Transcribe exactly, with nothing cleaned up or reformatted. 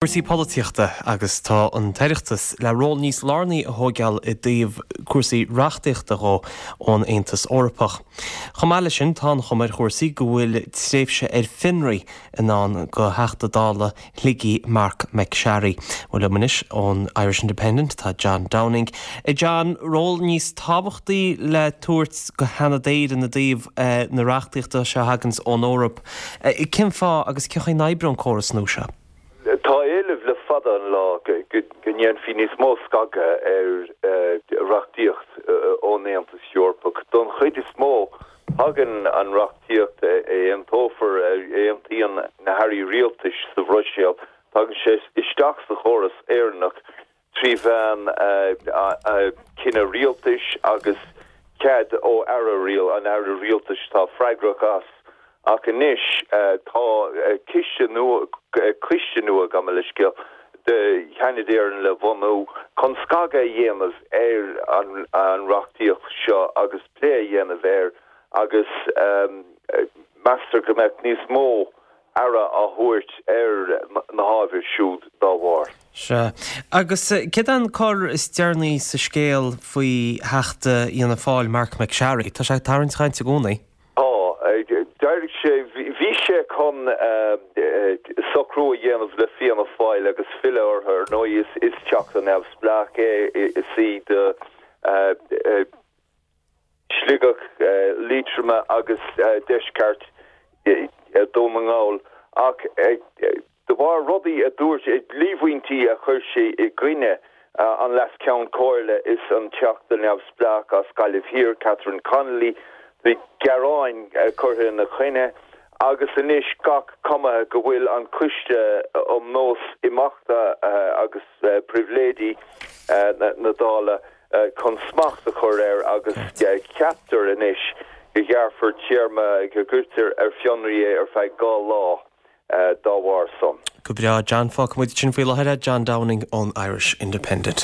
Cúrsaí polaitíochta agus tá an tOireachtas le ról níos lárnaí a thógáil i dtaobh cúrsaí reachtaíochta dhó ón Aontas Eorpach. Chomh maith leis sin tá an chuma ar chúrsaí go bhfuil tréimhse ar fionraí i ndán do Theachta Dála Shligigh Marc MacSharry. Bhuel liom anois ón Irish Independent tá John Downing. A John, ról níos tábhachtaí le tabhairt go Sheanad Éireann i dtaobh na reachtaíochta seo a thaganns ón Eoraip. Cén fáth agus cén chaoi a n-oibreoidh an córas nua seo? Tá éileamh le fada an lá go ndéanfaí níos mó scagadh ar reachtaíocht ón Aontas Eorpach. Don chuid is mó tagann an reachtaíocht a aontófar a aontaíonn na hairí rialtais sa Bhruiséil, tagann sé isteach sa chóras Éireannach trí mheán cinneadh rialtais agus cead ó aire rial an aire rialtais atá freagrach as. Ach anois tá ciste nua coiste nua gabh mo leithscéal de Sheanad Éireann le bhunú chun scagadh a dhéanamh ar an an reachtaíocht seo agus plé a dhéanamh air agus meastar go mbeadh níos mó aire á thabhairt ar na hábhair siúd dá bharr. Sea. Agus céard é an cor is deireanaí sa scéal faoi Theachta Fhianna Fáil Marc MacSharry? Tá sé ag tarraingt cainte i gcónaí. Tá. D'éirigh sé, bhí sé chun socrú a dhéanamh le Fianna Fáil agus filleadh orthu, ar ndóigh is teachta neamhspleách é, is í do Sligeach, Liatroma agus deisceart Dhún na nGall ach de bharr rudaí a dúirt, líomhaintí a chuir sé i gcoinne an Leas-Cheann Comhairle is an Teachta neamhspleách as Gaillimh Thiar, Catherine Connolly, bhí gearáin curtha ina choinne agus anois gach cuma go bhfuil an Coiste um Nós Imeachta agus Pribhléidí na Dála chun smacht a chur air agus ceaptar anois go ghearrfar téarma, go gcuirtear ar fionraí é ar feadh dhá lá dá bharr san. Go breá, John. Fágfaidh muid sin faoi láthair é, John Downing ón Irish Independent.